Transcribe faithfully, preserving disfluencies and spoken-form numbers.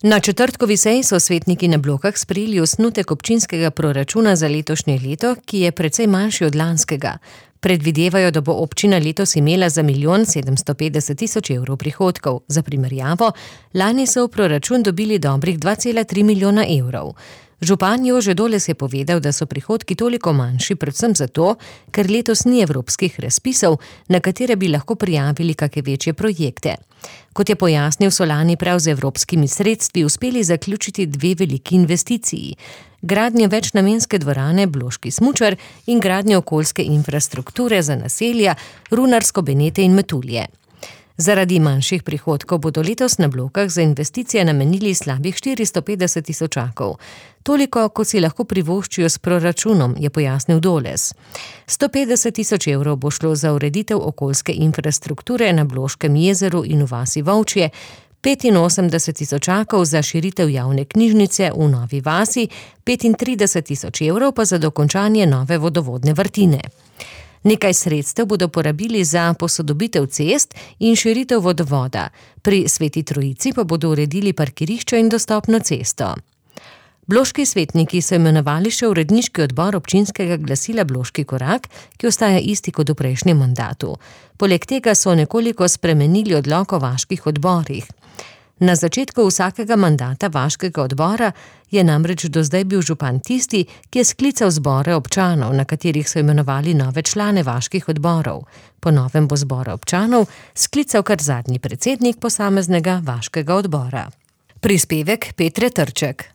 Na četrtkovi seji so svetniki na Blokah sprejeli osnutek občinskega proračuna za letošnje leto, ki je precej manjši od lanskega. Predvidevajo, da bo občina letos imela za milijon sedemsto petdeset tisoč evrov prihodkov. Za primerjavo, lani so v proračun dobili dobrih dva cela tri milijona evrov. Župan Jože Doles je povedal, da so prihodki toliko manjši predvsem zato, ker letos ni evropskih razpisov, na katere bi lahko prijavili kake večje projekte. Kot je pojasnil, so lani prav z evropskimi sredstvi uspeli zaključiti dve veliki investiciji. Gradnjo večnamenske dvorane Bloški smučar in gradnjo okoljske infrastrukture za naselja Runarsko, Benete in Metulje. Zaradi manjših prihodkov bodo letos na Blokah za investicije namenili slabih štiristo petdeset tisočakov. Toliko, kot si lahko privoščijo s proračunom, je pojasnil Doles. sto petdeset tisoč evrov bo šlo za ureditev okoljske infrastrukture na Bloškem jezeru in v vasi Volčje, petinosemdeset tisočakov za širitev javne knjižnice v Novi vasi, petintrideset tisoč evrov pa za dokončanje nove vodovodne vrtine. Nekaj sredstev bodo porabili za posodobitev cest in širitev vodovoda. Pri Sveti Trojici pa bodo uredili parkirišče in dostopno cesto. Bloški svetniki so imenovali še uredniški odbor občinskega glasila Bloški korak, ki ostaja isti kot v prejšnjem mandatu. Poleg tega so nekoliko spremenili odlok o vaških odborih. Na začetku vsakega mandata vaškega odbora je namreč do zdaj bil župan tisti, ki je sklical zbore občanov, na katerih so imenovali nove člane vaških odborov. Po novem bo zbore občanov sklical kar zadnji predsednik posameznega vaškega odbora. Prispevek Petre Trček.